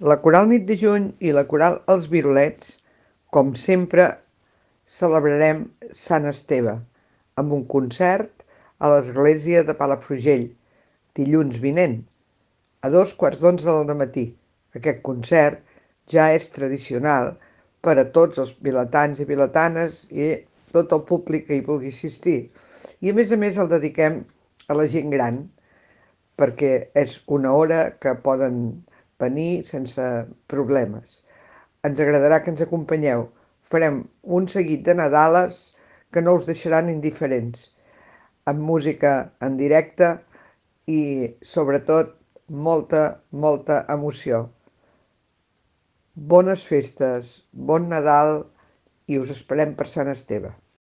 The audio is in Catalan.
La Coral Nit de Juny i la Coral Els Virolets, com sempre, celebrarem Sant Esteve amb un concert a l'església de Palafrugell, dilluns vinent, a 2:15 del matí. Aquest concert ja és tradicional per a tots els vilatans i vilatanes i tot el públic que hi vulgui assistir. I a més el dediquem a la gent gran, perquè és una hora que poden venir sense problemes. Ens agradarà que ens acompanyeu. Farem un seguit de Nadales que no us deixaran indiferents, amb música en directe i, sobretot, molta, molta emoció. Bones festes, bon Nadal i us esperem per Sant Esteve.